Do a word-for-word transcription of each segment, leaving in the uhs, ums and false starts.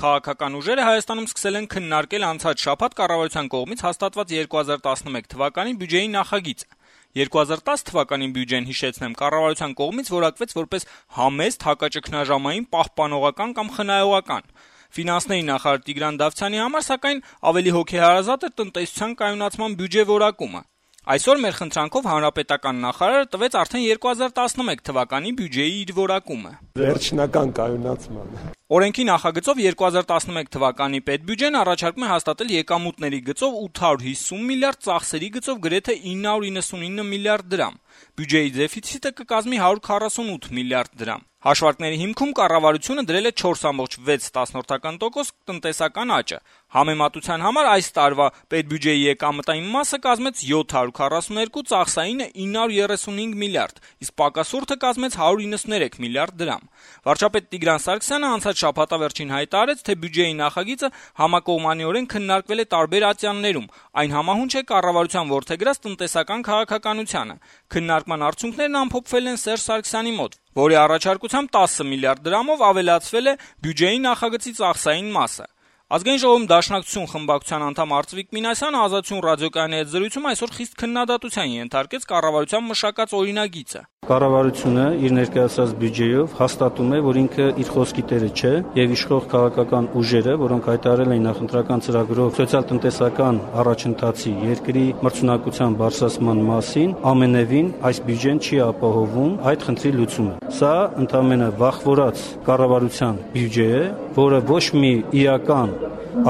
քաղաքական ուժերը Հայաստանում սկսել են քննարկել անցած շաբաթ կառավարության կողմից հաստատված երկու հազար տասնմեկ թվականի բյուջեի նախագիծը։ երկու հազար տասը թվականի բյուջեն, հիշեցնեմ, կառավարության կողմից որակվեց որպես համեստ, հակաճգնաժամային, պահպանողական կամ խնայողական։ Ֆինանսների նախարար Տիգրան Դավթյանի համար, սակայն, ավելի հոգեհարազատ էր տնտեսության կայունացման բյուջե որակումը։ Այսօր մեր խնդրանքով հանրապետական նախարարը տվեց արդեն երկու հազար տասնմեկ թվականի բյուջեի իր որակումը։ Վերջնական կայունացման։ Օրենքի նախագծով երկու հազար տասնմեկ թվականի պետբյուջեն առաջարկում է հաստատել եկամուտների գծով ութ հարյուր հիսուն միլիարդ, ծախսերի գծով գրեթե ինը հարյուր իննսունինը միլիարդ դրամ։ Բյուջեի դեֆիցիտը կկազմի հարյուր քառասունութ միլիարդ դրամ։ Հաշվարկների հիմքում կառավարությունը դրել է չորս կόμma վեց տոկոս տնտեսական աճը։ Համեմատության համար այս տարվա պետբյուջեի եկամտային մասը կազմեց յոթ հարյուր քառասունութ, ծախսայինը ինը հարյուր երեսունհինգ միլիարդ, իսկ պակասուրդը կազմեց հարյուր իննսուներեք միլիարդ դրամ։ Վարչապետ Տիգրան Սարգսյանը անցած շաբաթավերջին հայտարարեց, թե բյուջեի նախագիծը համակողմանիորեն քննարկվել է տարբեր ատյաններում, այն համահունչ է կառավարության որդեգրած տնտեսական քաղաքականությանը։ Քննարկման արդյունքներն ամփոփվել են Սերժ Սարգսյանի մոտ, որի առաջարկությամբ տասը միլիարդ դրամով ավելացվել է բյուջեի նախագծի ծախսային մասը։ Ազգային ժողովում Դաշնակցություն խմբակցության անդամ Արծվիկ Մինասյանը Ազատություն ռադիոկայանի հետ զրույցում այսօր խիստ քննադատության ենթարկեց կառավարության մշակած օրինագիծը։ Կառավարությունը իր ներկայացրած բյուջեով հաստատում է, որ ինքը իր խոսքի տերը չէ եւ իշխող քաղաքական ուժերը, որոնք հայտարարել են նախընտրական ծրագրով սոցիալ-տնտեսական առաջընթացի երկրի մրցունակության բարձրացման մասին, ամենևին այս բյուջեն չի ապահովում այդ խնդրի լուծումը։ Սա ընդամենը վախվորած կառավարության բյուջե է, որը ոչ մի իրական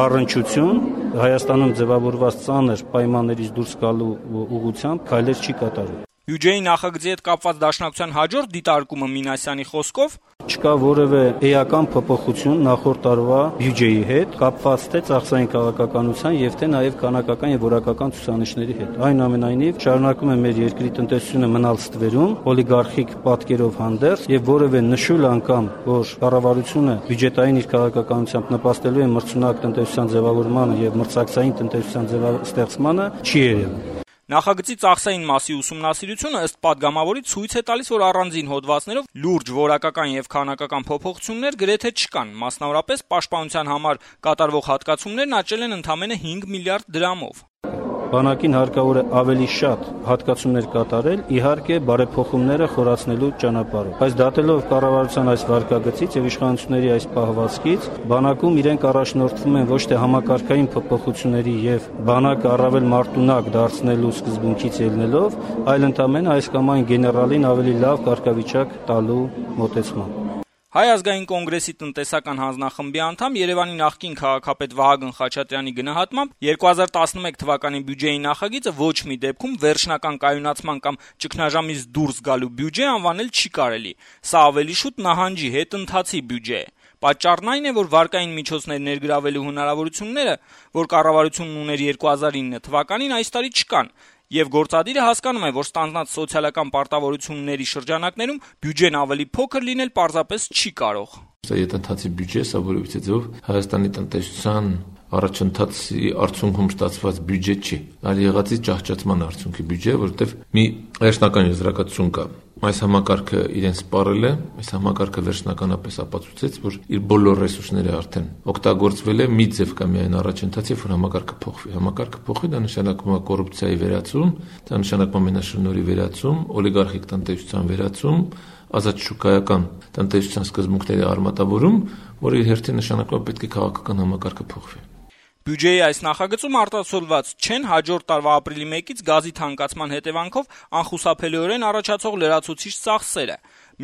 առնչություն Հայաստանում ձևավորված ծանր պայմաններից դուրս գալու ուղղությամբ քայլեր չի կատարում։ Բյուջեի նախագծի հետ կապված Դաշնակցության հաջորդ դիտարկումը Մինասյանի խոսքով չկա որևէ էական փոփոխություն նախորդ տարվա բյուջեի հետ, կապված թե ծախսային քաղաքականության եւ թե նաեւ քանակական եւ որակական ցուցանիշների հետ։ Այնուամենայնիվ, շարունակում է մեր երկրի տնտեսությունը մնալ ստվերում, օլիգարխիկ պատկերով հանդերձ եւ որևէ նշույլ անգամ, որ կառավարությունը բյուջետային իր քաղաքականությամբ նպաստելու է մրցունակ տնտեսության ձևավորմանը եւ մրցակցային տնտեսության ձևաստեղծմանը, չի երևում։ Նախագծի ծախսային մասի ուսումնասիրությունը ըստ падգամավորի ցույց է տալիս, որ առանձին հոդվածներով լուրջ որակական եւ քանակական փոփոխություններ գրեթե չկան, մասնավորապես պաշտպանության համար կատարվող հատկացումներն աճել են ընդամենը հինգ միլիարդ դրամով։ Բանակին հարկավոր է ավելի շատ հատկացումներ կատարել, իհարկե բարեփոխումները խորացնելու ճանապարհով։ Բայց դատելով կառավարության այս վարկագծից եւ իշխանությունների այս պահվածքից, բանակում իրենք առաջնորդվում են ոչ թե համակարգային փոփոխությունների եւ բանակը առավել մարտունակ դարձնելու սկզբունքից ելնելով, այլ ընդամենը այս կամ այն գեներալին ավելի լավ կարգավիճակ տալու մոտեցմամբ։ Հայ ազգային կոնգրեսի տնտեսական հանձնախմբի անդամ Երևանի նախկին քաղաքապետ Վահագն Խաչատրյանի գնահատմամբ երկու հազար տասնմեկ թվականի բյուջեի նախագիծը ոչ մի դեպքում վերջնական կայունացման կամ ճգնաժամից դուրս գալու բյուջե անվանել չի կարելի։ Սա ավելի շուտ նահանջի հետընթացի բյուջե է։ Պատճառն այն է, որ վարկային միջոցներ ներգրավելու հնարավորությունները, որ կառավարությունն ուներ երկու հազար ինը թվականին, այս տարի չկան։ Եվ գործադիրը հասկանում է, որ ստանձնած սոցիալական պարտավորությունների շրջանակներում բյուջեն ավելի փոքր լինել պարզապես չի կարող։ Սա հետընթացի բյուջե, սա որևիցե ձեւով Հայաստանի տնտեսության առաջընթացի արդյունքում ստացված բյուջե չի, այլ եղածի ճահճացման արդյունքի բյուջե, որովհետև մի վերջնական եզրակացություն կա։ Այս համակարգը իրեն սպառել է, այս համակարգը վերջնականապես ապացուցեց, որ իր բոլոր ռեսուրսները արդեն օգտագործվել է, մի ձև կա միայն առաջընթաց, երբ որ համակարգը փոխվի։ Համակարգը փոխվի, դա նշանակում է կոռուպցիայի վերացում, դա նշանակում է մենաշնորհի վերացում, օլիգարխիկ տնտեսության վերացում, ազատ շուկայական տնտեսության սկզբունքների արմատավորում, որը իր հերթին նշանակում է պետք է քաղաքական համակարգը փոխվի։ Բյուջեի այս նախագծում արտացոլված չեն հաջորդ տարվա ապրիլի մեկից գազի թանկացման հետևանքով անխուսափելիորեն առաջացող լրացուցիչ ծախսերը։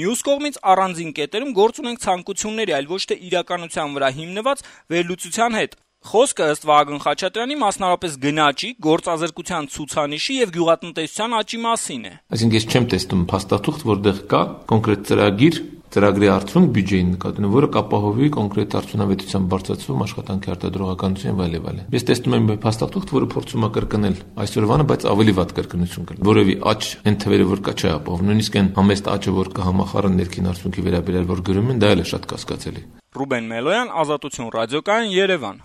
Մյուս կողմից առանձին կետերում գործ ունենք ցանկությունների, այլ ոչ թե իրականության վրա հիմնված վերլուծության հետ։ Խոսքը ըստ Վահագն Խաչատրյանի մասնավորապես գնաճի, գործազրկության ցուցանիշի եւ գյուղատնտեսության աճի մասին է։ Այսինքն ես չեմ տեսնում փաստաթուղթ, որտեղ կա կոնկրետ ծրագիր, ծրագրի արդյունք բյուջեին նկատմամբ, որը կապահովի կոնկրետ արդյունավետության բարձրացում, աշխատանքի արտադրողականություն եւ այլն այլն։ Ես տեսնում եմ փաստաթուղթ, որը փորձում է կրկնել այսօրվանը, բայց ավելի վատ կրկնություն կա։ Որևէ աճ այն թվերը, որ կա, չի ապահովում։ Նույնիսկ այն համեստ աճը, որ կա համախառն ներքին արդյունքի վերաբերյալ, որ գրում են, դա էլ է շատ կասկածելի։ Ռուբեն Մելոյան, Ազատություն ռադիոկայան, Երևան։